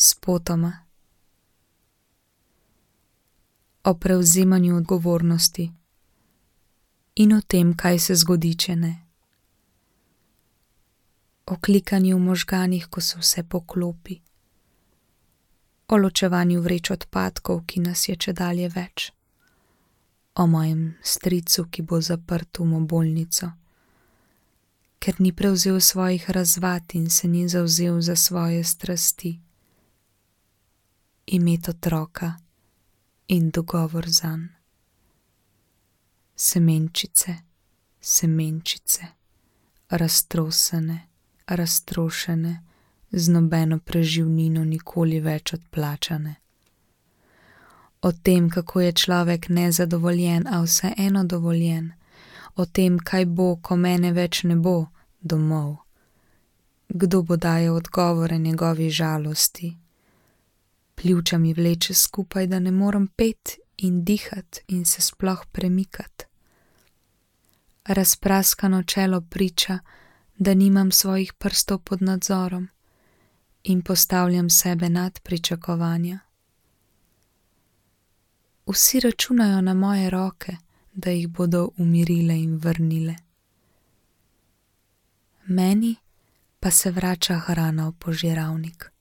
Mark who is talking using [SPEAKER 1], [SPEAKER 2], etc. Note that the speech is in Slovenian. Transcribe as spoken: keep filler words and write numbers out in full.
[SPEAKER 1] spotoma. O prevzemanju odgovornosti in o tem, kaj se zgodi, če ne. O klikanju v možganih, ko se vse poklopi. O ločevanju vreč odpadkov, ki nas je čedalje več. O mojem stricu, ki bo zaprt v mobolnico, ker ni prevzel svojih razvad in se ni zavzel za svoje strasti. Imet otroka in dogovor zanj. Semenčice, semenčice, raztrosene, raztrošene, z nobeno preživnino nikoli več odplačane. O tem, kako je človek nezadovoljen, a vseeno dovoljen. O tem, kaj bo, ko mene več ne bo, domov. Kdo bo dajal odgovore njegovi žalosti? Pljuča mi vleče skupaj, da ne morem pet in dihat in se sploh premikat. Razpraskano čelo priča, da nimam svojih prstov pod nadzorom in postavljam sebe nad pričakovanja. Vsi računajo na moje roke, da jih bodo umirile in vrnile. Meni pa se vrača hrana v požiralnik.